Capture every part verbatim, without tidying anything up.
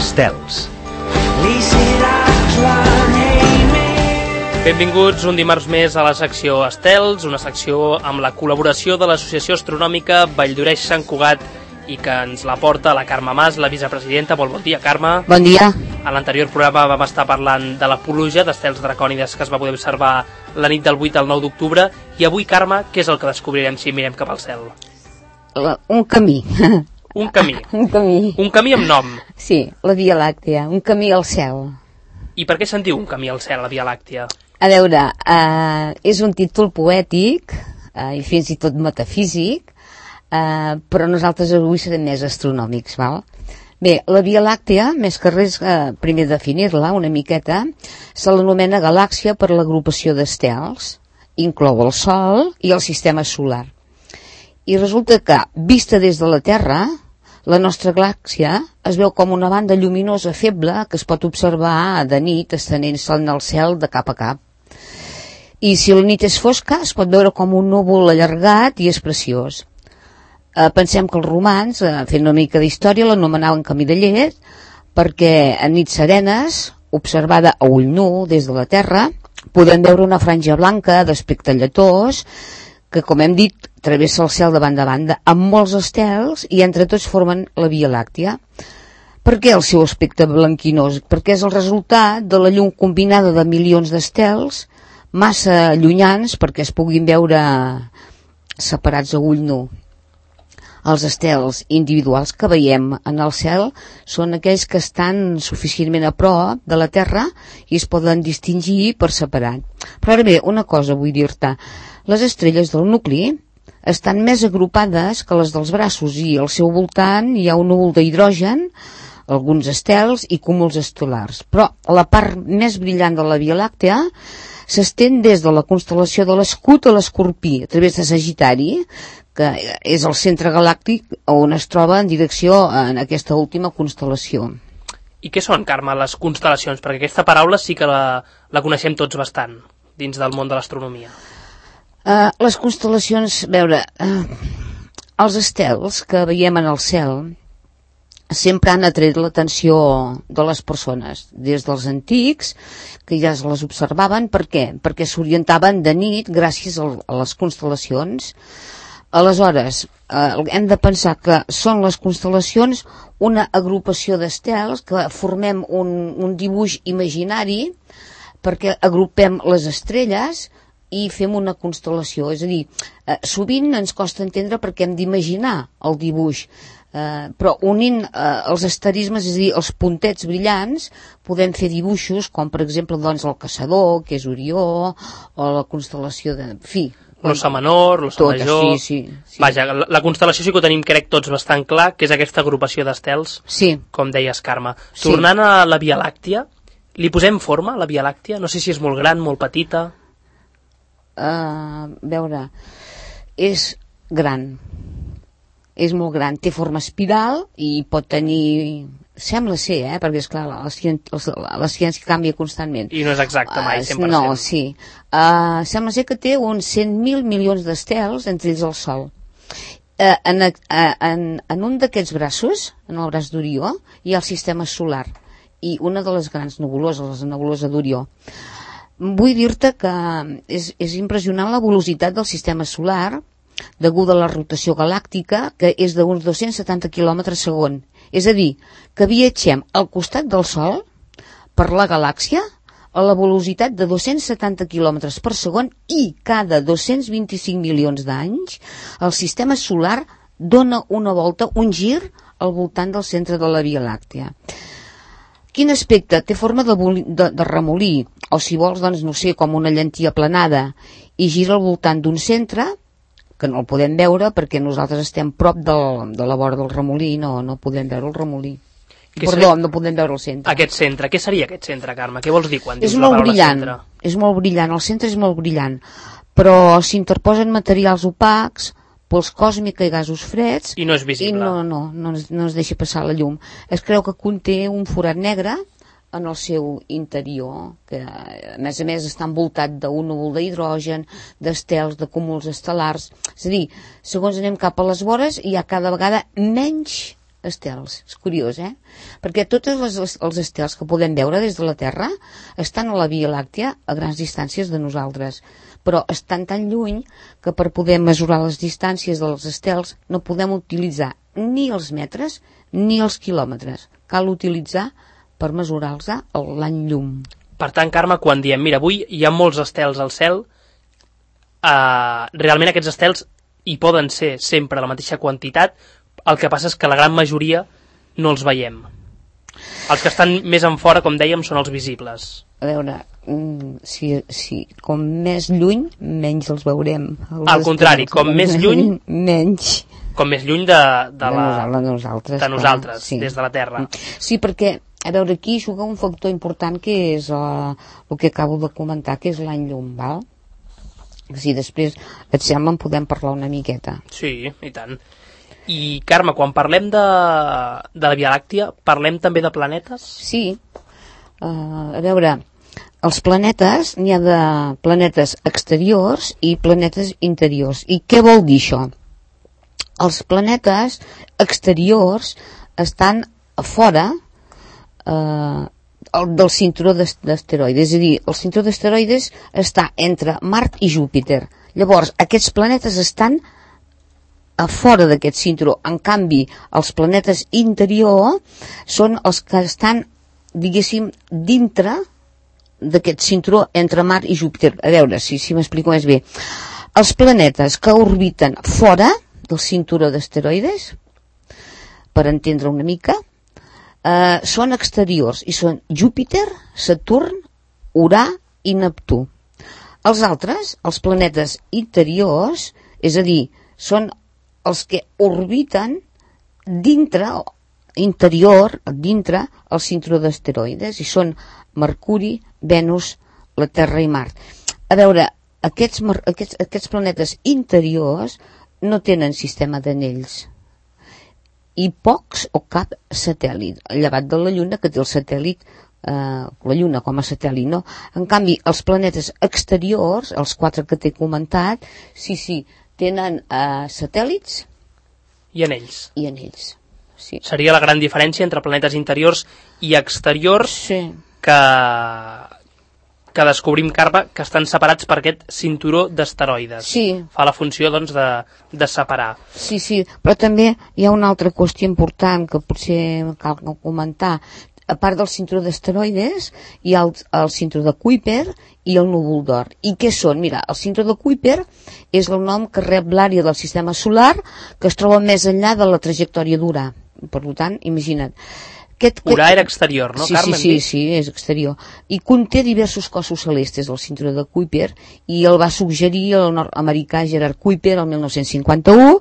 Estels. Benvinguts un dimarts més a la secció Estels, una secció amb la col·laboració de l'Associació Astronòmica Valldoreix-Sant Cugat i que ens la porta la Carme Mas, la vicepresidenta. Molt bon dia, Carme. Bon dia. A l'anterior programa vam estar parlant de la pluja d'estels dracònides que es va poder observar la nit del vuit al nou d'octubre, i avui, Carme, què és el que descobrirem si mirem cap al cel? La, un camí. Un camí. un camí. Un camí amb nom. Sí, la Via Làctea, un camí al cel. I per què se'n diu un camí al cel, la Via Làctea? A veure, eh, és un títol poètic eh, i fins i tot metafísic, eh, però nosaltres avui serem més astronòmics, val? Bé, la Via Làctea, més que res, eh, primer definir-la una miqueta, se l'anomena galàxia per l'agrupació d'estels, inclou el Sol i el sistema solar. I resulta que, vista des de la Terra, la nostra galàxia es veu com una banda lluminosa feble que es pot observar de nit estenent-se en el cel de cap a cap. I si la nit és fosca es pot veure com un núvol allargat i és preciós. Eh, pensem que els romans, eh, fent una mica d'història, l'anomenaven camí de llet perquè en nits serenes, observada a ull nu des de la Terra, podem veure una franja blanca d'aspecte lletós que, com hem dit, travessa el cel de banda a banda amb molts estels i entre tots formen la Via Làctea. Per què el seu aspecte blanquinós? Perquè és el resultat de la llum combinada de milions d'estels massa llunyans perquè es puguin veure separats a ull nu. Els estels individuals que veiem en el cel són aquells que estan suficientment a prop de la Terra i es poden distingir per separat. Però ara bé, una cosa vull dir-te. Les estrelles del nucli estan més agrupades que les dels braços i al seu voltant hi ha un núvol d'hidrogen, alguns estels i cúmuls estel·lars. Però la part més brillant de la Via Làctea s'estén des de la constel·lació de l'Escut a l'Escorpí, a través de Sagitari, que és el centre galàctic on es troba en direcció en aquesta última constel·lació. I què són, Carme, les constel·lacions? Perquè aquesta paraula sí que la, la coneixem tots bastant dins del món de l'astronomia. Uh, les constel·lacions, a veure, uh, els estels que veiem en el cel sempre han atret l'atenció de les persones, des dels antics, que ja es les observaven. Per què? Perquè s'orientaven de nit gràcies a les constel·lacions. Aleshores, eh, hem de pensar que són les constel·lacions una agrupació d'estels que formem un, un dibuix imaginari perquè agrupem les estrelles i fem una constel·lació. És a dir, eh, sovint ens costa entendre perquè hem d'imaginar el dibuix, eh, però unint eh, els asterismes, és a dir, els puntets brillants, podem fer dibuixos com, per exemple, doncs, el Caçador, que és Orió, o la constel·lació de... En fi, l'Ossa Menor, l'Ossa Major... Sí, sí, sí. Vaja, la, la constel·lació sí que ho tenim, crec, tots bastant clar, que és aquesta agrupació d'estels, sí, com deies, Carme. Sí. Tornant a la Via Làctea, li posem forma, a la Via Làctea? No sé si és molt gran, molt petita... Uh, veure, és gran, és molt gran, té forma espiral i pot tenir, sembla ser, eh, perquè esclar, la ciència, la ciència canvia constantment. I no és exacte mai, cent per cent. Uh, no, sí. Uh, sembla ser que té uns cent mil milions d'estels, entre ells el Sol. Uh, en, uh, en, en un d'aquests braços, en el braç d'Orió, hi ha el sistema solar i una de les grans nebuloses, la nebulosa d'Orió. Vull dir-te que és, és impressionant la velocitat del sistema solar deguda a la rotació galàctica, que és d'uns dos-cents setanta quilòmetres segon. És a dir, que viatgem al costat del Sol per la galàxia a la velocitat de dos-cents setanta quilòmetres per segon i cada dos-cents vint-i-cinc milions d'anys el sistema solar dona una volta, un gir al voltant del centre de la Via Làctea. Quin aspecte? Té forma de, de, de remolí, o si vols, doncs, no sé, com una llentia aplanada, i gira al voltant d'un centre, que no el podem veure perquè nosaltres estem prop del, de la vora del remolí, no, no podem veure el remolí. Perdó, seria... no podem veure el centre. Aquest centre, què seria aquest centre, Carme? Què vols dir quan dius és la paraula brillant, centre? És molt brillant, el centre és molt brillant, però s'interposen materials opacs, pols còsmica i gasos freds, i no és visible. I no, no, no, es, no es deixa passar la llum. Es creu que conté un forat negre en el seu interior, que a més a més està envoltat d'un núvol d'hidrogen, d'estels, de cúmuls estel·lars. És a dir, segons anem cap a les vores hi ha cada vegada menys estels. És curiós, eh? Perquè tots les, els estels que podem veure des de la Terra estan a la Via Làctea a grans distàncies de nosaltres, però estan tan lluny que per poder mesurar les distàncies dels estels no podem utilitzar ni els metres ni els quilòmetres. Cal utilitzar per mesurar-los l'any llum. Per tant, Carme, quan diem, mira, avui hi ha molts estels al cel, eh, realment aquests estels hi poden ser sempre la mateixa quantitat, el que passa és que la gran majoria no els veiem. Els que estan més en fora, com dèiem, són els visibles. A veure, si, si com més lluny, menys els veurem. Els Al contrari, com més lluny, menys. Com més lluny de, de, la, de nosaltres, de nosaltres clar, sí. Des de la Terra. Sí, perquè, a veure, aquí juga un factor important que és uh, el que acabo de comentar, que és l'any llum, val? Si després et sembla en podem parlar una miqueta. Sí, i tant. I, Carme, quan parlem de, de la Via Làctea, parlem també de planetes? Sí. Uh, a veure, els planetes, n'hi ha de planetes exteriors i planetes interiors. I què vol dir això? Els planetes exteriors estan a fora eh, del cinturó d'asteroides, és a dir, el cinturó d'asteroides està entre Mart i Júpiter. Llavors, aquests planetes estan a fora d'aquest cinturó. En canvi, els planetes interiors són els que estan, diguéssim, dintre d'aquest cinturó entre Mart i Júpiter. A veure si, si m'explico més bé. Els planetes que orbiten fora del cinturó d'asteroides, per entendre una mica, eh, són exteriors i són Júpiter, Saturn, Urà i Neptú. Els altres, els planetes interiors, és a dir, són els que orbiten dintre, interior, dintre el cinturó d'asteroides, i són Mercuri, Venus, la Terra i Mart. A veure, aquests, aquests, aquests planetes interiors no tenen sistema d'anells i pocs o cap satèl·lit, llevat de la Lluna, que té el satèl·lit, eh, la Lluna com a satèl·lit, no? En canvi, els planetes exteriors, els quatre que t'he comentat, sí, sí, tenen eh, satèl·lits i anells. I anells, sí. Seria la gran diferència entre planetes interiors i exteriors, sí. que... que descobrim, Carme, que estan separats per aquest cinturó d'asteroides. Sí. Fa la funció, doncs, de, de separar. Sí, sí, però també hi ha una altra qüestió important que potser cal comentar. A part del cinturó d'asteroides, hi ha el, el cinturó de Kuiper i el núvol d'or. I què són? Mira, el cinturó de Kuiper és el nom que rep l'àrea del sistema solar que es troba més enllà de la trajectòria d'Urà. Per tant, imagina't. Aquest, Urà era exterior, no, sí, Carme? Sí, sí, sí, és exterior. I conté diversos cossos celestes, el cinturó de Kuiper, i el va suggerir el nord-americà Gerard Kuiper el mil nou-cents cinquanta-u,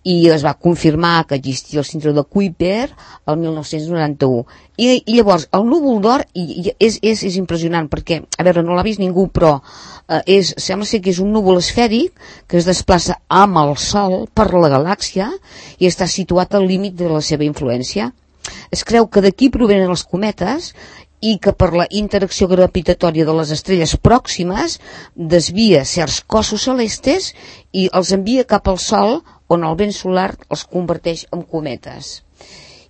i es va confirmar que existia el cinturó de Kuiper el mil nou-cents noranta-u. I, i llavors, el núvol d'or i, i és, és, és impressionant, perquè, a veure, no l'ha vist ningú, però eh, és, sembla ser que és un núvol esfèric que es desplaça amb el Sol per la galàxia i està situat al límit de la seva influència. Es creu que d'aquí provenen els cometes i que per la interacció gravitatòria de les estrelles pròximes desvia certs cossos celestes i els envia cap al Sol, on el vent solar els converteix en cometes.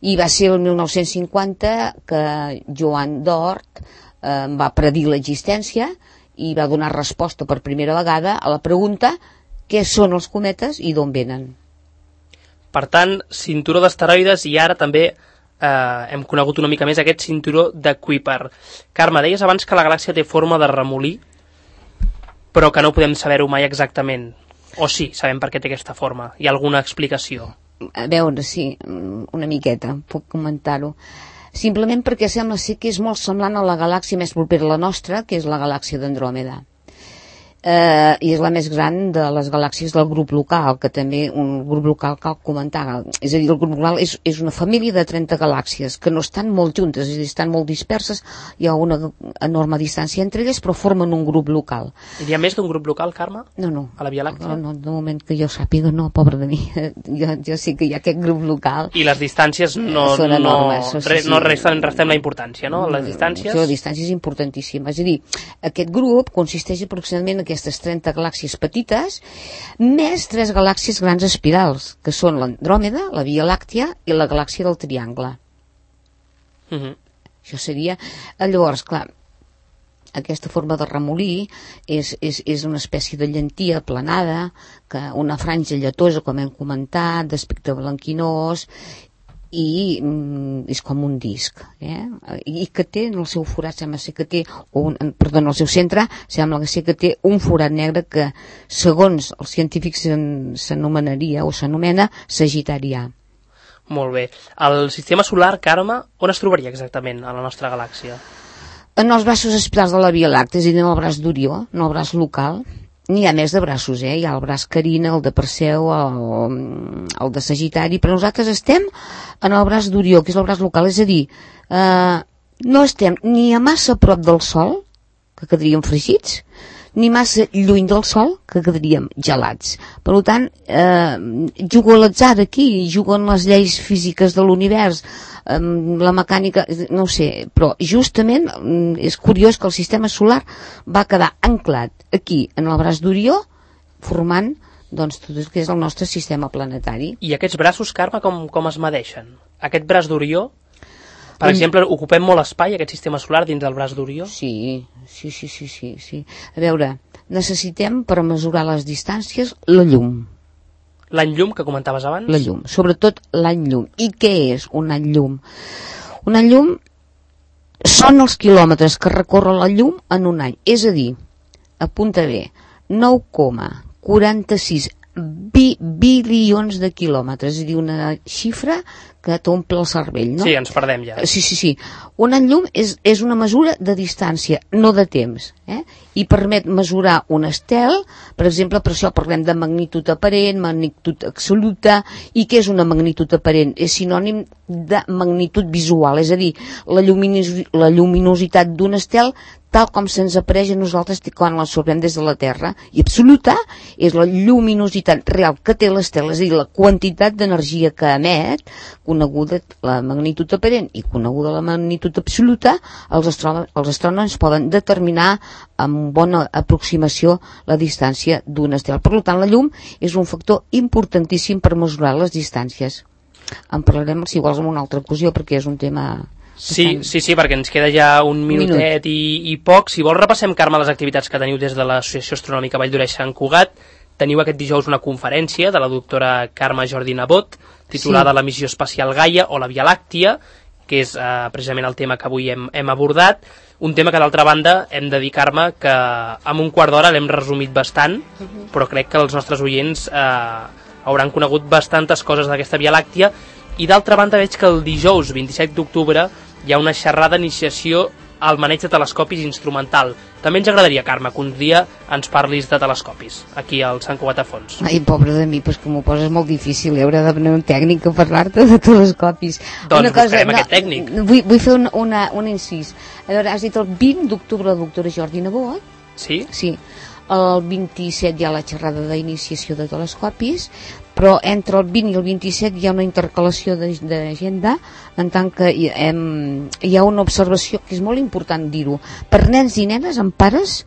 I va ser el mil nou-cents cinquanta que Joan d'Ort eh, va predir l'existència i va donar resposta per primera vegada a la pregunta què són els cometes i d'on venen. Per tant, cinturó d'asteroides i ara també eh, hem conegut una mica més aquest cinturó de Kuiper. Carme, deies abans que la galàxia té forma de remolí, però que no podem saber-ho mai exactament. O sí, sabem per què té aquesta forma. Hi ha alguna explicació? A veure, sí, una miqueta, puc comentar-ho. Simplement perquè sembla ser que és molt semblant a la galàxia més propera a la nostra, que és la galàxia d'Andròmeda. Eh, i és la més gran de les galàxies del grup local, que també un grup local cal comentar. És a dir, el grup local és, és una família de trenta galàxies que no estan molt juntes, és a dir, estan molt disperses, hi ha una enorme distància entre elles, però formen un grup local. Hi ha més d'un grup local, Carme? No, no. A la Via Làctea? No, no, de moment que jo sàpiga, no, pobre de mi. Jo, jo sí que hi ha aquest grup local. I les distàncies no, són enormes, no, sí, re, sí. no resten, restem la importància, no? Les distàncies... Sí, la distància és importantíssima. És a dir, aquest grup consisteix aproximadament en aquestes trenta galàxies petites, més tres galàxies grans espirals, que són l'Andròmeda, la Via Làctia i la galàxia del Triangle. Uh-huh. Això seria... Llavors, clar, aquesta forma de remolí és, és, és una espècie de llentia aplanada, que una franja lletosa, com hem comentat, d'aspecte blanquinós, i mm, és com un disc, eh? I que té en el seu forat, sembla ser que té un, perdó, en el seu centre sembla que ser que té un forat negre que segons els científics s'anomenaria o s'anomena Sagitarià. Molt bé. El sistema solar, Carme, on es trobaria exactament a la nostra galàxia? En els braços espirals de la Via Làctea, és a dir, en el braç d'Orió, en el braç local. N'hi ha més de braços, eh? Hi ha el braç Carina, el de Perseu, el, el de Sagitari, però nosaltres estem en el braç d'Orió, que és el braç local, és a dir, eh, no estem ni a massa prop del Sol, que quedaríem fregits, ni massa lluny del Sol, que quedaríem gelats. Per tant, eh, jugo a l'atzar aquí, juguen les lleis físiques de l'univers, eh, la mecànica, no ho sé, però justament és curiós que el sistema solar va quedar anclat aquí, en el braç d'Orió, formant doncs, tot el que és el nostre sistema planetari. I aquests braços, Carme, com, com es medeixen? Aquest braç d'Orió, per exemple, ocupem molt espai, aquest sistema solar, dins del braç d'Orió? Sí, sí, sí, sí, sí, sí. A veure, necessitem per mesurar les distàncies la llum. L'any llum que comentaves abans? La llum, sobretot l'any llum. I què és un any llum? Un any llum són els quilòmetres que recorre la llum en un any. És a dir, apunta bé, nou coma quaranta-sis bi bilions de quilòmetres, és a dir, una xifra que t'omple el cervell, no? Sí, ens perdem ja. Sí, sí, sí. Un any llum és, és una mesura de distància, no de temps, eh? I permet mesurar un estel, per exemple, per això parlem de magnitud aparent, magnitud absoluta, i què és una magnitud aparent? És sinònim de magnitud visual, és a dir, la, lluminos, la lluminositat d'un estel tal com se'ns apareix a nosaltres quan l'absorbem des de la Terra, i absoluta és la lluminositat real que té l'estel, és a dir, la quantitat d'energia que emet, coneguda la magnitud aparent i coneguda la magnitud absoluta, els, astrònoms, els astrònoms poden determinar amb bona aproximació la distància d'un estel. Per tant, la llum és un factor importantíssim per mesurar les distàncies. En parlarem, si vols, en una altra ocasió, perquè és un tema... Sí, sí, sí, perquè ens queda ja un minutet Minut. i, i poc. Si vols repassem, Carme, les activitats que teniu des de l'Associació Astronòmica Vall d'Oreix Sant Cugat. Teniu aquest dijous una conferència de la doctora Carme Jordi Nebot, titulada sí. La missió espacial Gaia o la Via Làctia, que és eh, precisament el tema que avui hem, hem abordat. Un tema que, d'altra banda, hem de dir, Carme, que en un quart d'hora l'hem resumit bastant, però crec que els nostres oients eh, hauran conegut bastantes coses d'aquesta Via Làctia. I d'altra banda veig que el dijous vint-i-set d'octubre hi ha una xerrada d'iniciació al maneig de telescopis instrumental. També ens agradaria, Carme, que un dia ens parlis de telescopis, aquí al Sant Cugat a Fons. Ai, pobre de mi, pues que m'ho poses molt difícil, hauré de venir un tècnic a parlar-te de telescopis. Doncs una cosa, buscarem no, aquest tècnic. Vull, vull fer un, una, un incís. A veure, has dit el vint d'octubre la doctora Jordi Nebot? Sí? Sí. El vint-i-set hi ha la xerrada d'iniciació de telescopis, però entre el vint i el vint-i-set hi ha una intercalació d'agenda, en tant que hi, hem, hi ha una observació que és molt important dir-ho, per nens i nenes amb pares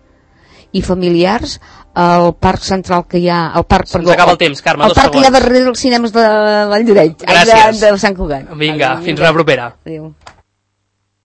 i familiars al parc central que hi ha, al parc, se'ns acaba el temps, Carme, el dos parc segons. que hi ha darrere dels cinemes de Vall d'Oreix, gràcies, de, de Sant Cugat. Vinga, fins la propera. Adéu.